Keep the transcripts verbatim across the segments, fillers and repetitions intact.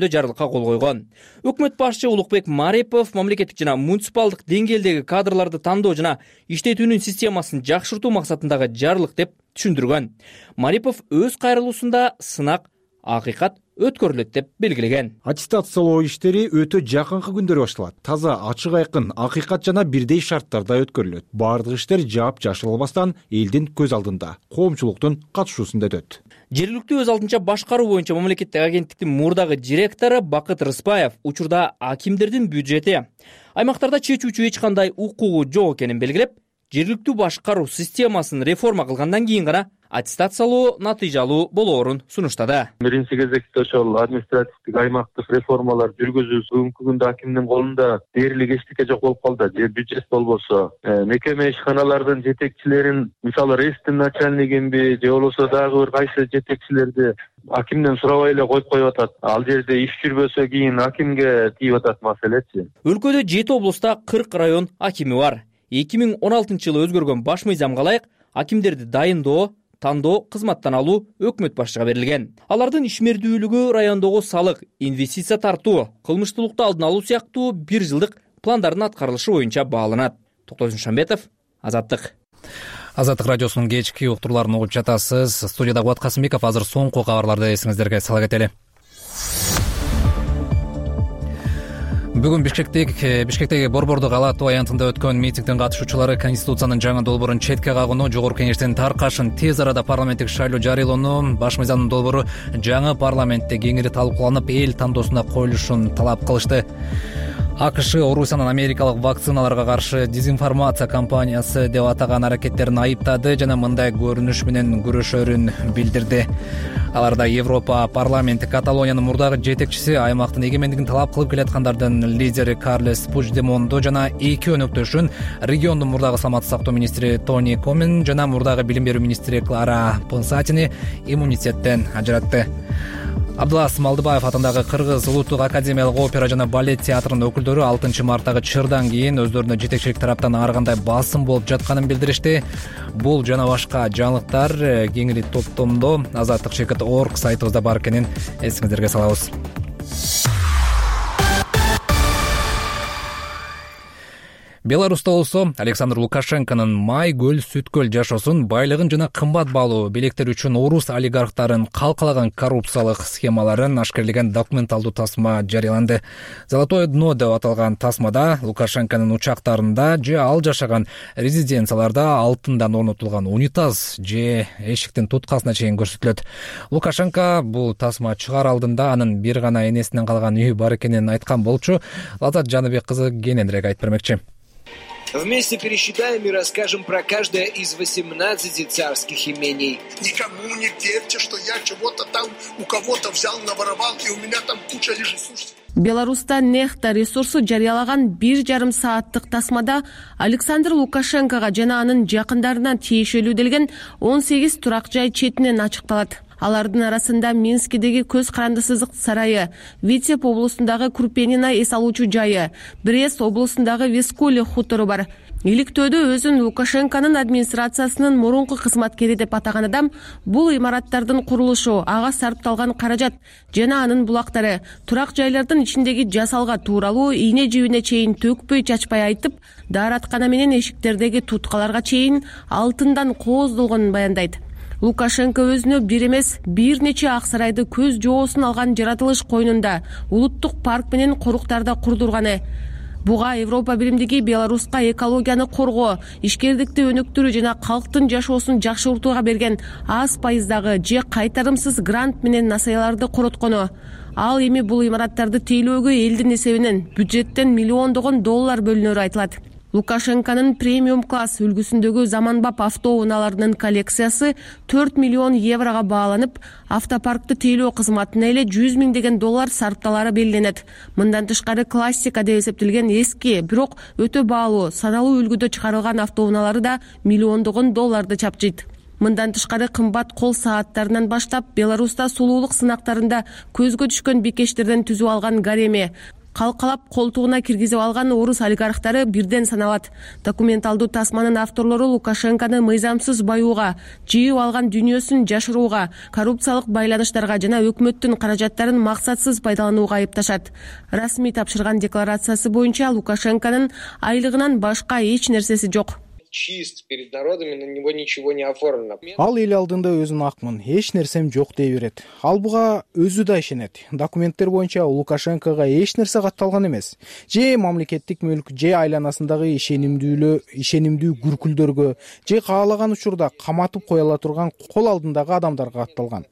жарлыкка кол койгон. Өкмөт башчы Улукбек Марипов мамлекеттик жана муниципалдык деңгээлдеги кадрларды тандоо жана иштетүүнүн системасын жакшыртуу максатындагы жарлык деп түшүндүргөн. Марипов өз кайрылуусунда сынак акыйкат өткөрүлөт деп белгилеген. Аттестациялоо иштери өтө жакынкы күндөрү башталат. Таза, ачык айкын, акыйкат жана бирдей шарттарда өткөрүлөт. Бардык иштер жаап жашырылбастан элдин көз алдында, коомчулуктун катышуусунда өтөт. Жергиликтүү өз алдынча башкаруу боюнча мамлекеттик агенттиктин мурдагы директору Бакыт Рыспаев учурда акимдердин бюджети аймактарда чечүүчү эч кандай укугу жок экенин белгилеп, жергиликтүү башкаруу системасын реформа кылгандан кийин гана аттестациялоо натыйжалуу болоорун сунуштады. Биринчи кезекте ошол административдик аймактык реформалар жүргүзүү бүгүнкү күндө акимдин колунда дээрлик эчтеке жок болуп калды. Же бюджет болбосо, мекеме ишканалардын жетекчилерин, мисалы рейстин начальнигинби, же болбосо дагы бир кайсы жетекчилерди акимден сурабай эле коюп коюп атат. Ал жерде иш жүрбөсө кийин акимге тийип атат маселечи. Өлкөдө жети облуста кырк район акими бар. эки миң он алтынчы жылы өзгөргөн баш мыйзамга ылайык акимдерди дайындоо, тандоо, кызматтан алуу өкмөт башчыга берилген. Алардын ишмердүүлүгү райондогу салык, инвестиция тартуу, кылмыштуулукту алдын алуу сыяктуу бир жылдык пландардын аткарылышы боюнча бааланат. Токтогул Шамбетов, Азаттык. Азаттык радиосунун кечки уктурларын угуп жатасыз. Студияда Кубат Касымбеков. Азыр соңку кабарларды эсиңиздерге сала кетели. Бүгүн Бишкектик Бишкектеги Борбордук ала тоо аянтында өткөн митингдин катышуучулары Конституциянын жаңы долбоорун четке кагууну, Жогорку Кеңештин таркашын тез арада парламенттик шайлоо жарыялоону, баш мыйзамдын долбоору жаңы парламентте кеңири талкууланып, эл тандоосуна коюлушун талап кылышты. АКШ Орусиянын америкалык вакциналарга каршы дезинформация кампаниясы деп атаган аракеттерин айыптады жана мындай көрүнүш менен күрөшөрүн билдирди. Аларда Европа парламенти Каталониянын мурдагы жетекчиси, аймактын эгемендигин талап кылып келаткандардын лидери Карлес Пучдемонду жана эки өнөктөшүн, региондун мурдагы саламаттык сактоо министри Тони Комен жана мурдагы билим берүү министри Клара Пынсатини иммунитеттен ажыратты. Абдулла Смалдыбаев атындагы Кыргыз улуттук академиялык опера жана балет театрынын өкүлдөрү алтынчы марттагы чырдан кийин өздөрүнө жетекчилик тараптан ар кандай басым болуп жатканын билдиришти. Бул жана башка жаңылыктар кеңири топтомдо азаттык чекит точка орг сайтыбызда бар экенин эсиңиздерге салабыз. Беларуста болсо Александр Лукашенконун май көл сүткөл жашоосун, байлыгын жана кымбат баалуу белектер үчүн орус олигархтарын калкалаган коррупциялык схемаларын ашкерлеген документалдуу тасма жарыяланды. Золотое дно деп аталган тасмада Лукашенконун учактарында же ал жашаган резиденцияларда алтындан орнотулган унитаз же эшиктин туткасына чейин көрсөтүлөт. Лукашенко бул тасма чыгаар алдында анын бир гана энесинен калган үйү бар экенин айткан болчу. Лазат Жаныбек кызы кененирээк айтып бермекчи. Вместе пересчитаем и расскажем про каждое из восемнадцати царских имений. Никому не верьте, что я чего-то там у кого-то взял, наворовал, и у меня там куча лежит. Слушайте. Беларуста Нехта ресурсу жарыялаган бир жарым сааттык тасмада Александр Лукашенкого жана анын жакындарына тиешелүү делген он сегиз турак жай четинен ачыкталат. Алардын арасында Минскидеги көз карандысыздык сарайы, Витеб облусундагы Курпенина эс алуучу жайы, Брест облусундагы Вискули хутору бар. Иликтөөдө өзүн Лукашенконун администрациясынын мурунку кызматкери деп атаган адам бул имараттардын курулушу, ага сарпталган каражат жана анын булактары, турак жайлардын ичиндеги жасалга тууралуу ийне жибине чейин төкпөй чачпай айтып, даараткана менен эшиктердеги туткаларга чейин алтындан кооздолгонун баяндайт. Лукашенко өзүнө бир эмес бир нече ак сарайды көз жоосун алган жаратылыш койнунда, улуттук парк менен коруктарда курдурганы. Буга Европа биримдиги Беларуска экологияны коргоо, ишкердикти өнүктүрүү жана калктын жашоосун жакшыртууга берген аз пайыздагы же кайтарымсыз грант менен насаяларды короткону. Ал эми бул имараттарды тейлөөгө элдин эсебинен бюджеттен миллиондогон доллар бөлүнөрү айтылат. Лукашенконун премиум класс үлгүсүндөгү заманбап автоунааларынын коллекциясы төрт миллион еврого бааланып, автопаркты тейлөө кызматына эле жүз миңдеген доллар сарпталары белгиленет. Мындан тышкары классика деп эсептелген эски, бирок өтө баалуу, саналуу үлгүдө чыгарылган автоунаалары да миллиондогон долларды чапчыйт. Мындан тышкары кымбат кол сааттарынан баштап Беларуста сулуулук сынактарында көзгө түшкөн бикештерден түзүп алган гареми, калкалап колтугуна киргизип алган орус олигархтары бирден саналат. Документалдуу тасманын авторлору Лукашенкону мыйзамсыз баюуга, жыйып алган дүйнөсүн жашырууга, коррупциялык байланыштарга жана өкмөттүн каражаттарын максатсыз пайдаланууга айыпташат. Расмий тапшырган декларациясы боюнча Лукашенконун айлыгынан башка эч нерсеси жок. Чист перед народами, на него ничего не оформлено. Ал эл алдында өзүн акмын, эч нерсем жок дей берет. Ал буга өзү да ишенет. Документтер боюнча Лукашенкого эч нерсе катталган эмес. Же мамлекеттик мүлк, же айланасындагы ишенимдүүлө, ишенимдүү күркүлдөргө, же каалаган учурда каматып кое ала турган кол алдындагы адамдарга катталган.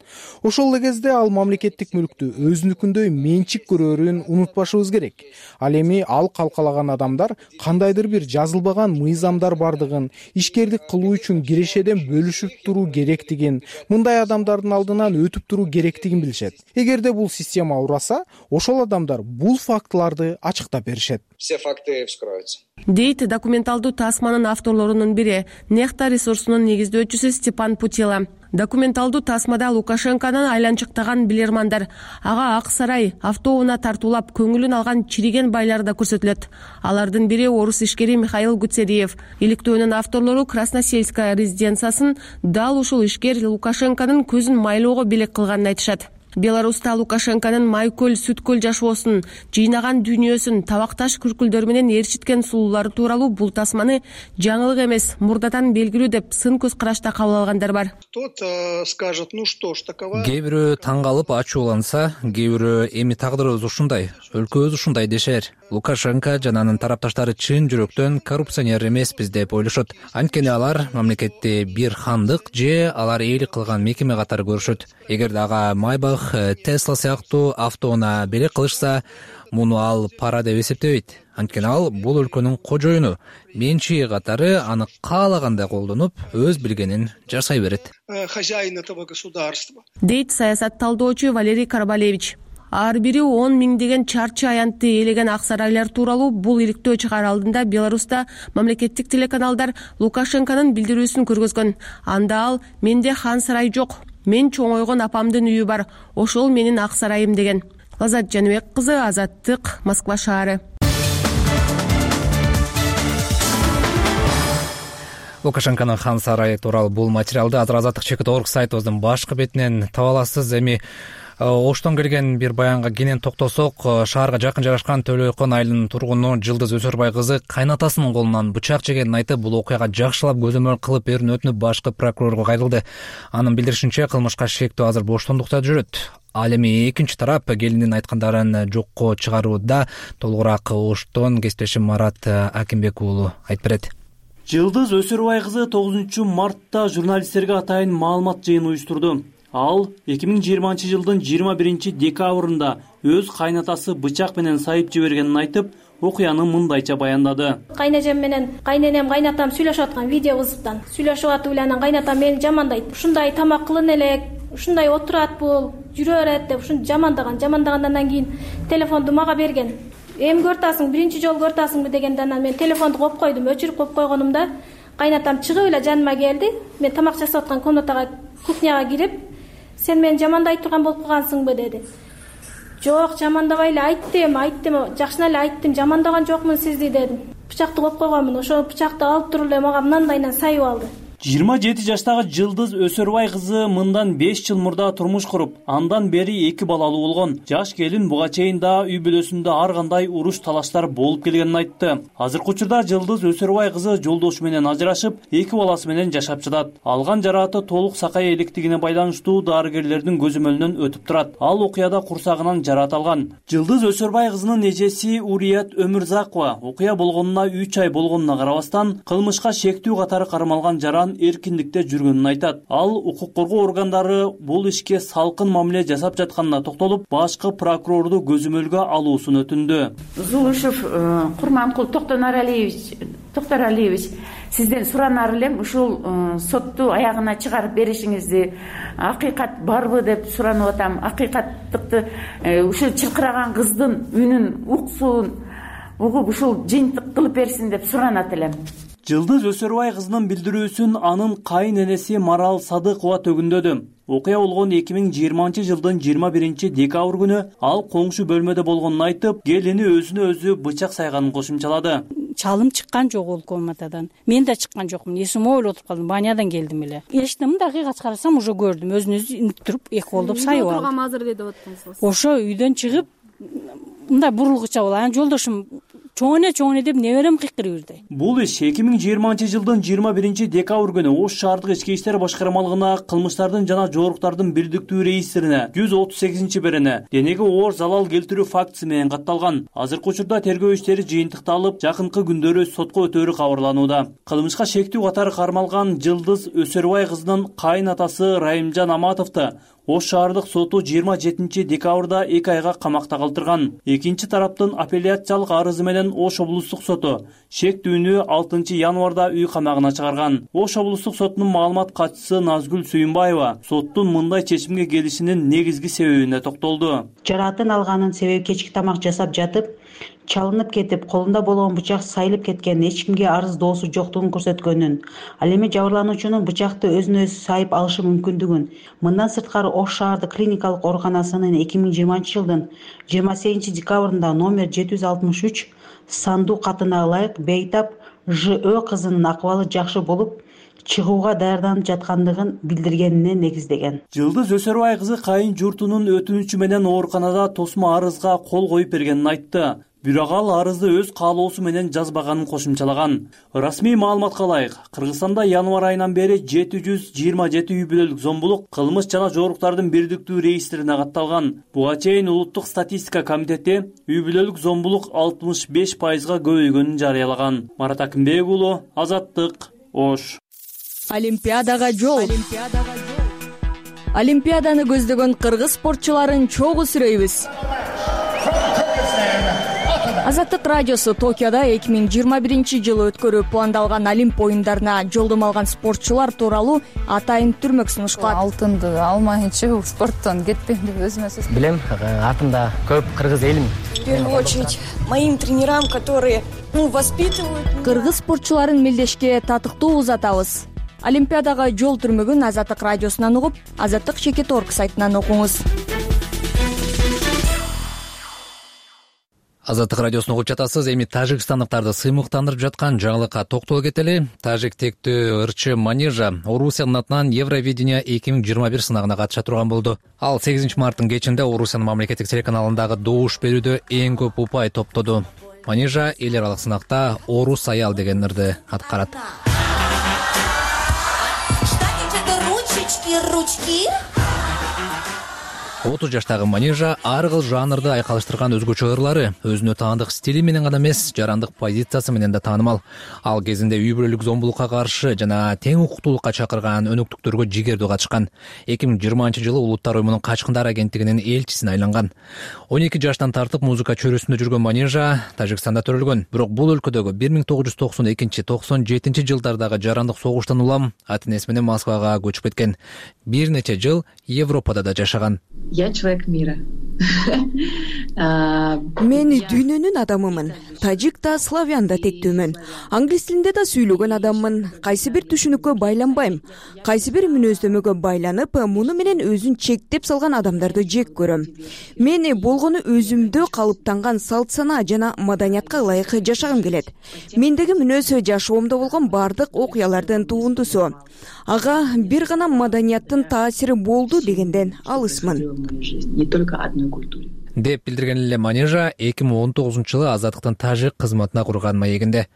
Ошол эле кезде ал мамлекеттик мүлктү өзүнүкүндөй менчик көрөөрүн унутпашыбыз керек. Ал эми ал калкалаган адамдар кандайдыр бир жазылбаган мыйзамдар бардыгын, ишкердик кылуу үчүн кирешеден бөлүшүп туруу керектигин, мындай адамдардын алдынан өтүп туруу керектигин билишет. Эгерде бул система ураса, ошол адамдар бул фактыларды ачыктап беришет. Все факты вскроются. Дейт документалдуу тасманын авторлорунун бири, Нехта ресурсунун негиздөөчүсү Степан Путила. Документалдуу тасмада Лукашенконун айланчыктаган билермандар, ага Ак сарай автоунаа тартуулап көңүлүн алган чириген байлар да көрсөтүлөт. Алардын бири орус ишкери Михаил Гуцериев. Иликтөөнүн авторлору Красносельская резиденциясын дал ушул ишкер Лукашенконун көзүн майлоого белек кылганын айтышат. Беларуста Лукашенконун Майкөл Сүткөл жашоосун, жыйнаган дүйнөсүн, табакташ күркүлдөр менен ээрчиткен сулуулары тууралуу бул тасманы жаңылык эмес, мурдадан белгилүү деп сын көз карашта кабыл алгандар бар. Кто-то скажет, ну что ж, такова. Кээ бирөө таң калып ачууланса, кээ бирөө эми тагдырыбыз ушундай, өлкөбүз ушундай дешер. Лукашенко жана анын тарапташтары чын жүрөктөн коррупционер эмеспиз деп ойлошот. Анткени алар мамлекетти бир хандык же алар ээлик кылган мекеме катары көрүшөт. Эгерде ага Майбах, Тесла сыяктуу автоунаа белек кылышса, муну ал пара деп эсептебейт. Анткени ал бул өлкөнүн кожоюну, менчиги катары аны каалагандай колдонуп, өз билгенин жасай берет. Хозяин этого государства. Дейт саясат талдоочу Валерий Карбалевич. Ар бири он миңдеген чарчы аянтты ээлеген ак сарайлар тууралуу бул иликтөө чыгаар алдында Беларуста мамлекеттик телеканалдар Лукашенконун билдирүүсүн көргөзгөн. Анда ал менде хан сарай жок, мен чоңойгон апамдын үйү бар, ошол менин ак сарайым деген. Лазат Жаныбек кызы, Азаттык, Москва шаары. Лукашенконун хан сарайы тууралуу бул материалды азыр Азаттык чекит орг сайтыбыздын башкы бетинен таба аласыз. Эми Оштон келген бир баянга кенен токтосок, шаарга жакын жайгашкан Төлөйкөн айылынын тургуну Жылдыз Өсөрбай кызы кайнатасынын колунан бычак жегенин айтып, бул окуяга жакшылап көзөмөл кылып берүүнү өтүнүп башкы прокурорго кайрылды. Анын билдиришинче, кылмышка шектүү азыр боштондукта жүрөт. Ал эми экинчи тарап келиндин айткандарын жокко чыгарууда толугураак Оштон кесиптешим Марат Акимбек уулу айтып берет. Жылдыз Өсөрбай кызы тогузунчу мартта журналисттерге атайын маалымат жыйын уюштурду. Ал эки миң жыйырманчы жылдын жыйырма биринчи декабрында өз кайнатасы бычак менен сайып жибергенин айтып, окуяны мындайча баяндады. Кайнежем менен кайненем кайнатам сүйлөшүп аткан видео вызыптан. Сүйлөшүп атып эле анан кайнатам мени жамандайт. Ушундай тамак кылын элек, ушундай отурат бул, жүрө берет деп ушун жамандаган. Жамандагандан кийин телефонду мага берген. Эми көртасың, биринчи жолу көртасыңбы дегенде анан мен телефонду коюп койдум. Өчүрүп коюп койгонумда кайнатам чыгып эле жаныма келди. Мен тамак жасап аткан комнатага, кухняга кирип, сен мени жамандай турган болуп калгансыңбы деди. Жок, жамандабай эле айттым, айттым, жакшына эле айттым, жамандаган жокмун сизди дедим. Бычакты коюп койгонмун, ошол бычакты алып туруп эле мага мындайынан сайып алды. жыйырма жети жаштагы Жылдыз Өсөрбай кызы мындан беш жыл мурда турмуш куруп, андан бери эки балалуу болгон. Жаш келин буга чейин да үй бүлөсүндө ар кандай уруш талаштар болуп келгенин айтты. Азыркы учурда Жылдыз Өсөрбай кызы жолдошу менен ажырашып, эки баласы менен жашап жатат. Алган жарааты толук сакай электигине байланыштуу дарыгерлердин көзөмөлүнөн өтүп турат. Ал окуяда курсагынан жараат алган. Жылдыз Өсөрбай кызынын эжеси Урият Өмүрзакова окуя болгонуна үч ай болгонуна карабастан, кылмышка шектүү катары кармалган жаран эркиндикте жүргөнүн айтат. Ал укук коргоо органдары бул ишке салкын мамиле жасап жатканына токтолуп, башкы прокурорду көзөмөлгө алуусун өтүндү. Зулушев Курманкул Токтонаралиевич, Токтаралиевич, сизден суранар элем, ушул сотту аягына чыгарып беришиңизди, акыйкат барбы деп суранып атам. Акыйкаттыкты ушул чылкыраган кыздын үнүн, уксуун угуп ушул жыйынтык кылып берсин деп суранат элем. Жылдыз Өсөрбай кызынын билдирүүсүн анын кайын энеси Марал Садыкова төгүндөдү. окуя болгон эки миң жыйырманчы жылдын жыйырма биринчи декабрь күнү ал коңшу бөлмөдө болгонун айтып, келини өзүнө өзү бычак сайганын кошумчалады. Чалым чыккан жок ол комнатадан. Мен да чыккан жокмун. Эсим ойлоп отуруп калдым. Банядан келдим эле. Эчтем, дагыйкат карасам уже көрдүм. Өзүн өзү интип туруп, эки колдоп сайып алды. Турган азыр деп аттыңыз. Ошо үйдөн чыгып, мындай бурулгуча болду. Анан жолдошум чоңене чоңене деп неберем кыйкырып жүрдү. Бул иш эки миң жыйырманчы жылдын жыйырма биринчи декабрь күнү Ош шаардык ички иштер башкармалыгына кылмыштардын жана жоруктардын бирдиктүү рейистерине жүз отуз сегизинчи берене денеге оор залал келтирүү фактысы менен катталган. Азыркы учурда тергөө иштери жыйынтыкталып, жакынкы күндөрү сотко өтөөрү кабарланууда. Кылмышка шектүү катары кармалган Жылдыз Өсөрбай кызынын кайын атасы Райымжан Аматовду Ош шаардык соту жыйырма жетинчи декабрда эки айга камакта калтырган. Экинчи тараптын апелляциялык арызы менен Ош облустук соту шектүүнү алтынчы январда үй камагына чыгарган. Ош облустук сотунун маалымат катчысы Назгүл Сүйүнбаева соттун мындай чечимге келишинин негизги себебине токтолду. Жараатын алганын себеби кечки тамак жасап жатып, чалынып кетип, колунда болгон бычак сайылып кеткен, эч кимге арыз доосу жоктугун көрсөткөнүн, ал эми жабырлануучунун бычакты өзүнө өзү сайып алышы мүмкүндүгүн. Мындан сырткары Ош шаардык клиникалык ооруканасынын эки миң жыйырманчы жылдын жыйырма сегизинчи декабрында номер жети жүз алтымыш үч сандуу катына ылайык бейтап Ж Ö кызынын акыбалы жакшы болуп, чыгууга даярданып жаткандыгын билдиргенине негиздеген. Жылдыз Өсөрбай кызы кайын журтунун өтүнүчү менен ооруканада тосмо арызга кол коюп бергенин айтты. Бирок ал арызды өз каалоосу менен жазбаганын кошумчалаган. Расмий маалыматка ылайык, Кыргызстанда январь айынан бери жети жүз жыйырма жети үй бүлөлүк зомбулук кылмыш жана жоруктардын бирдиктүү рейистерине катталган. Буга чейин Улуттук статистика комитети үй бүлөлүк зомбулук алтымыш беш пайызга көбөйгөнүн жарыялаган. Марат Акимбек уулу, Азаттык, Ош. Олимпиадага жол. Олимпиаданы көздөгөн кыргыз спортчуларын чогуу сүрөйбүз. Азаттык радиосу Токиодо эки миң жыйырма биринчи жылы өткөрүү пландалган Олимп оюндарына жолдомо алган спортчулар тууралуу атайын түрмөк сунушталат. Алтынды алмайынча спорттон кетпейм деп өзүмө сөз билем. Артымда көп кыргыз элим. В первую очередь моим тренерам, которые воспитывают. Кыргыз спортчуларын мелдешке татыктуу узатабыз. Олимпиадага жол түрмөгүн Азаттык радиосунан угуп, Азаттык чекит орг сайтынан окуңуз. Азаттык радиосун угуп жатасыз. Эми тажикстандыктарды сыймыктандырып жаткан жаңылыкка токтоло кетели. Тажик тектүү ырчы Манижа Орусиянын атынан Евровидение эки миң жыйырма бир сынагына катыша турган болду. Ал сегизинчи марттын кечинде Орусиянын мамлекеттик телеканалындагы добуш берүүдө эң көп упай топтоду. Манижа эл аралык сынакта Орус аял деген ырды аткарат. отуз жаштагы Манижа ар кыл жанрды айкалыштырган өзгөчө ырлары, өзүнө таандык стили менен гана эмес, жарандык позициясы менен да таанымал. Ал кезинде үй бүлөлүк зомбулукка каршы жана тең укуктуулукка чакырган өнөктүктөргө жигердүү катышкан. эки миң жыйырманчы жылы Улуттар уюмунун качкындар агенттигинин элчисине айланган. он эки жаштан тартып музыка чөйрөсүндө жүргөн Манижа Тажикстанда төрөлгөн. Бирок бул өлкөдөгү бир миң тогуз жүз токсон экинчи токсон жетинчи жылдардагы жарандык согуштан улам ата энеси менен Москвага көчүп кеткен. Бир нече жыл Европада да жашаган. Я человек мира. Мен дүйнөнүн адамымын. Тажик да, славян да тектүүмүн. Англис тилинде да сүйлөгөн адаммын. Кайсы бир түшүнүккө байланбайм. Кайсы бир мүнөздөмөгө байланып, муну менен өзүн чектеп салган адамдарды жек көрөм. Мен болгону өзүмдө калыптанган салт сана жана маданиятка ылайык жашагым келет. Мендеги мүнөз жашоомдо болгон бардык окуялардын туундусу. Ага бир гана маданияттын таасири болду дегенден алысмын. Не только одной культуре. деп билдирген эле Манижа эки миң он тогузунчу жылы азаттыктын тажик кызматына курган маегинде.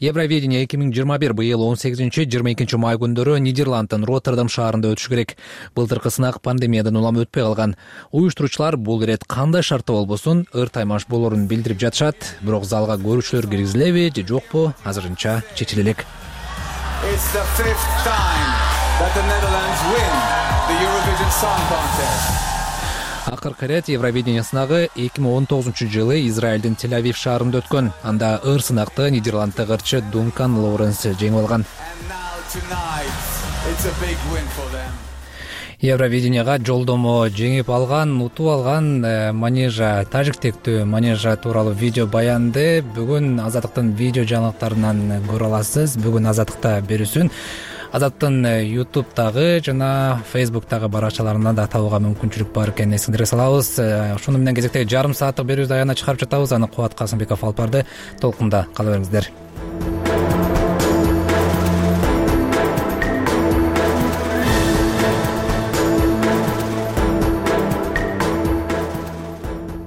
Евровидение эки миң жыйырма бир быйыл он сегизинчи жыйырма экинчи май күндөрү Нидерланддын Роттердам шаарында өтүшү керек. Былтыркы сынак пандемиядан улам өтпөй калган. Уюштуруучулар бул ирет кандай шартта болбосун ыр таймаш болорун билдирип жатышат, бирок залга көрүүчүлөр киргизилеби же жокпу азырынча чечиле элек. It's the fifth time that the Netherlands win the Eurovision Song Contest. Акыркы ирет Евровидение сынагы эки миң он тогузунчу жылы Израилдин Тель-Авив шаарында өткөн. Анда ыр сынакты Нидерланддык ырчы Дункан Лоуренс жеңип алган. Евровиденияга жолдомо жеңип алган, утуп алган Манижа, тажик тектүү Манижа тууралуу видео баянды бүгүн Азаттыктын видео жаңылыктарынан көрө аласыз. Бүгүн Азаттыкта берүүсүн Азаттын ютубтагы жана фейсбуктагы баракчаларынан да табууга мүмкүнчүлүк бар экенин эсиңерге салабыз. Ушуну менен кезектеги жарым сааттык берүүбүздү аягына чыгарып жатабыз. Аны Кубат Касымбеков алып барды. Толкунда кала бериңиздер.